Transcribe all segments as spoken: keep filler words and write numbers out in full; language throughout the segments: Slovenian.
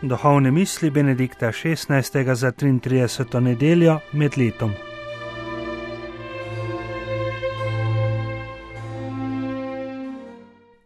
Duhovne misli Benedikta šestnajstega za triintrideseto nedeljo med letom.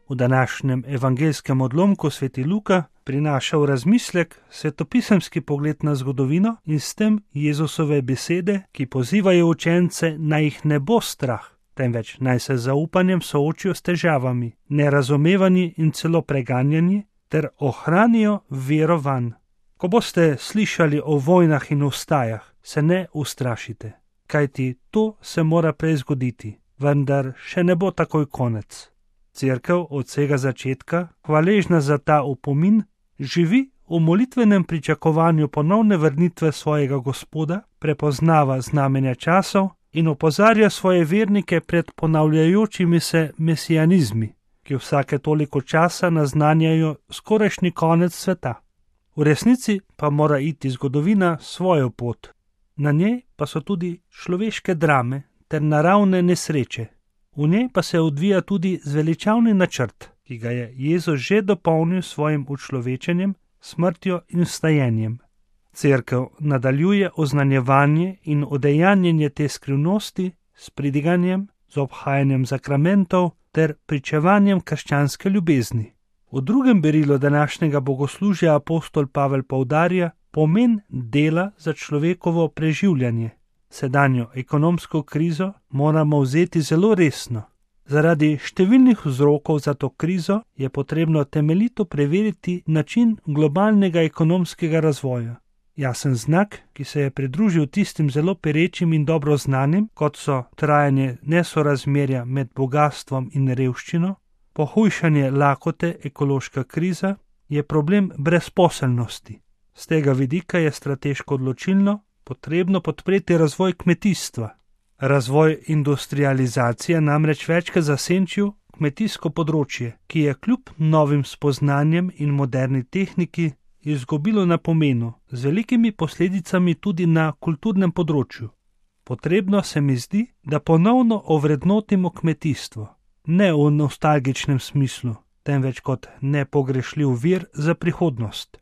V današnjem evangeljskem odlomku sveti Luka prinaša v razmislek svetopisemski pogled na zgodovino in s tem Jezusove besede, ki pozivajo učence, naj jih ne bo strah, temveč naj se z zaupanjem soočijo s težavami, nerazumevanji in celo preganjanji, ter ohranijo vero vanj. Ko boste slišali o vojnah in vstajah, se ne ustrašite, kajti to se mora prej zgoditi, vendar še ne bo takoj konec. Cerkev od vsega začetka, hvaležna za ta opomin, živi v molitvenem pričakovanju ponovne vrnitve svojega Gospoda, prepoznava znamenja časov in opozarja svoje vernike pred ponavljajočimi se mesijanizmi, ki vsake toliko časa naznanjajo skorajšnji konec sveta. V resnici pa mora iti zgodovina svojo pot. Na njej pa so tudi človeške drame ter naravne nesreče. V njej pa se odvija tudi zveličavni načrt, ki ga je Jezus že dopolnil svojim učlovečenjem, smrtjo in vstajenjem. Cerkev nadaljuje oznanjevanje in udejanjenje te skrivnosti s pridiganjem, z obhajanjem zakramentov ter pričevanjem krščanske ljubezni. V drugem berilu današnjega bogoslužja apostol Pavel poudarja pomen dela za človekovo preživljanje. Sedanjo ekonomsko krizo moramo vzeti zelo resno. Zaradi številnih vzrokov za to krizo je potrebno temeljito preveriti način globalnega ekonomskega razvoja. Jasen znak, ki se je pridružil tistim zelo perečim in dobro znanim, kot so trajanje nesorazmerja med bogatstvom in revščino, pohujšanje lakote, ekološka kriza, je problem brezposelnosti. Z tega vidika je strateško odločilno potrebno podpreti razvoj kmetijstva. Razvoj industrializacije namreč večkrat zasenčil kmetijsko področje, ki je kljub novim spoznanjem in moderni tehniki izgubilo na pomenu, z velikimi posledicami tudi na kulturnem področju. Potrebno se mi zdi, da ponovno ovrednotimo kmetijstvo, ne v nostalgičnem smislu, temveč kot nepogrešljiv vir za prihodnost.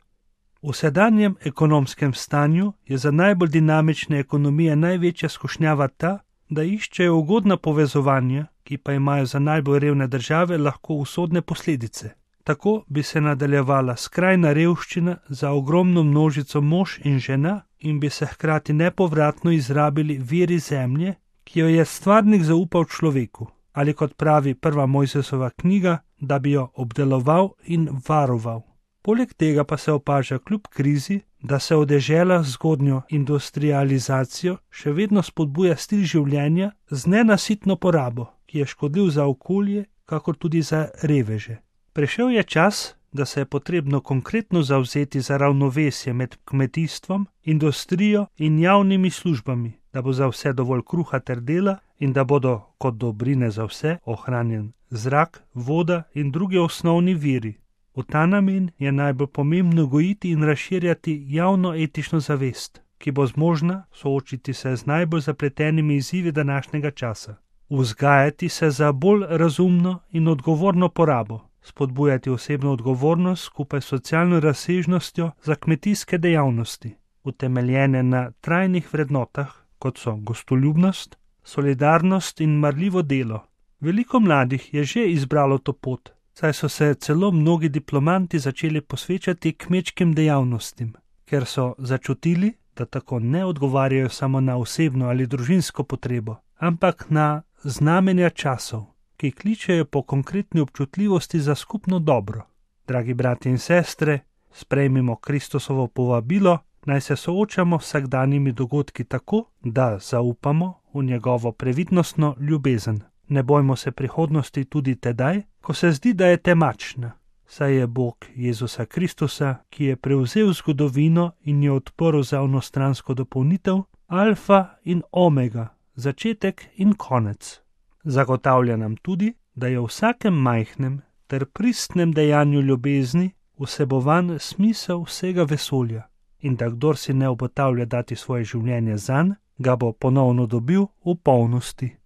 V sedanjem ekonomskem stanju je za najbolj dinamične ekonomije največja skušnjava ta, da iščejo ugodna povezovanja, ki pa imajo za najbolj revne države lahko usodne posledice. Tako bi se nadaljevala skrajna revščina za ogromno množico mož in žena in bi se hkrati nepovratno izrabili viri zemlje, ki jo je stvarnik zaupal človeku, ali kot pravi prva Mojzesova knjiga, da bi jo obdeloval in varoval. Poleg tega pa se opaža kljub krizi, da se v deželah z zgodnjo industrializacijo še vedno spodbuja stil življenja z nenasitno porabo, ki je škodljiv za okolje, kakor tudi za reveže. Prišel je čas, da se je potrebno konkretno zavzeti za ravnovesje med kmetijstvom, industrijo in javnimi službami, da bo za vse dovolj kruha ter dela in da bodo kot dobrine za vse ohranjen zrak, voda in drugi osnovni viri. V ta namen je najbolj pomembno gojiti in razširjati javno etično zavest, ki bo zmožna soočiti se z najbolj zapletenimi izzivi današnjega časa. Vzgajati se za bolj razumno in odgovorno porabo, spodbujati osebno odgovornost skupaj s socialno razsežnostjo za kmetijske dejavnosti, utemeljene na trajnih vrednotah, kot so gostoljubnost, solidarnost in marljivo delo. Veliko mladih je že izbralo to pot, saj so se celo mnogi diplomanti začeli posvečati kmečkim dejavnostim, ker so začutili, da tako ne odgovarjajo samo na osebno ali družinsko potrebo, ampak na znamenja časov, ki kličejo po konkretni občutljivosti za skupno dobro. Dragi brati in sestre, sprejmimo Kristusovo povabilo, naj se soočamo s vsakdanjimi dogodki tako, da zaupamo v njegovo previdnostno ljubezen. Ne bojmo se prihodnosti tudi tedaj, ko se zdi, da je temačna, saj je Bog Jezusa Kristusa, ki je prevzel zgodovino in jo odprl za onostransko dopolnitev, alfa in omega, začetek in konec. Zagotavlja nam tudi, da je v vsakem majhnem ter pristnem dejanju ljubezni vsebovan smisel vsega vesolja in da kdor si ne obotavlja dati svoje življenje zanj, ga bo ponovno dobil v polnosti.